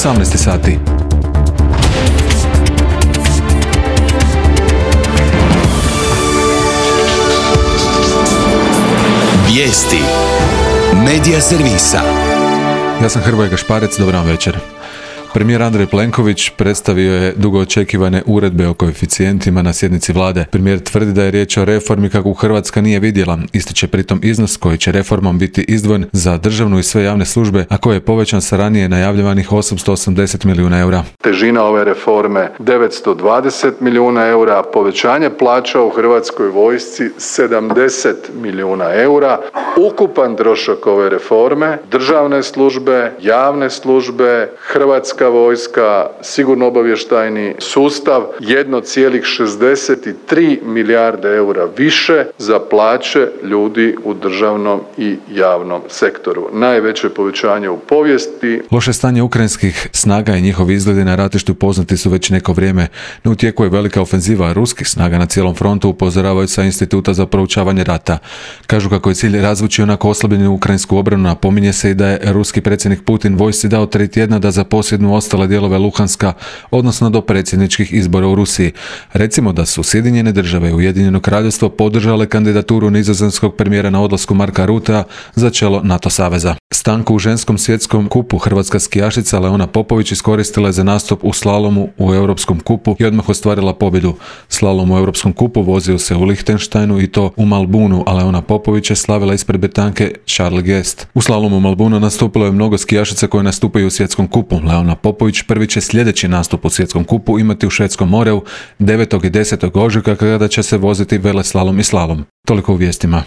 18 sati. Vijesti Medija servisa. Ja sam Hrvoje Gašparec, dobar vam večer. Premijer Andrej Plenković predstavio je dugo očekivane uredbe o koeficijentima na sjednici vlade. Premijer tvrdi da je riječ o reformi kakvu Hrvatska nije vidjela. Ističe pritom iznos koji će reformom biti izdvojen za državnu i sve javne službe, a koji je povećan sa ranije najavljivanih 880 milijuna eura. Težina ove reforme 920 milijuna eura, povećanje plaća u Hrvatskoj vojsci 70 milijuna eura. Ukupan trošak ove reforme, državne službe, javne službe, Hrvatska vojska, sigurno-obavještajni sustav 1,63 milijarde eura više za plaće ljudi u državnom i javnom sektoru. Najveće povećanje u povijesti. Loše stanje ukrajinskih snaga i njihovi izgledi na ratištu poznati su već neko vrijeme, no u tijeku je velika ofenziva ruskih snaga na cijelom frontu, upozoravaju sa Instituta za proučavanje rata. Kažu kako je cilj razvući onako oslabljenu ukrajinsku obranu, napominje se i da je ruski predsjednik Putin vojsci dao 3 tjedna da zaposjednu ostale dijelove Luhanska, odnosno do predsjedničkih izbora u Rusiji. Recimo da su Sjedinjene države i Ujedinjeno kraljevstvo podržale kandidaturu nizozemskog premijera na odlasku Marka Rutea za čelo NATO saveza. Stanku u ženskom svjetskom kupu hrvatska skijašica Leona Popović iskoristila je za nastup u slalomu u Europskom kupu i odmah ostvarila pobjedu. Slalom u Europskom kupu vozio se u Lichtensteinu i to u Malbunu, a Leona Popović je slavila ispred Britanke Charlotte Guest. U slalomu u Malbunu nastupilo je mnogo skijašica koje nastupaju u svjetskom kupu. Leona Popović prvi će sljedeći nastup u svjetskom kupu imati u Švedskom moreu 9. i 10. ožujka kada će se voziti veleslalom i slalom. Toliko u vijestima.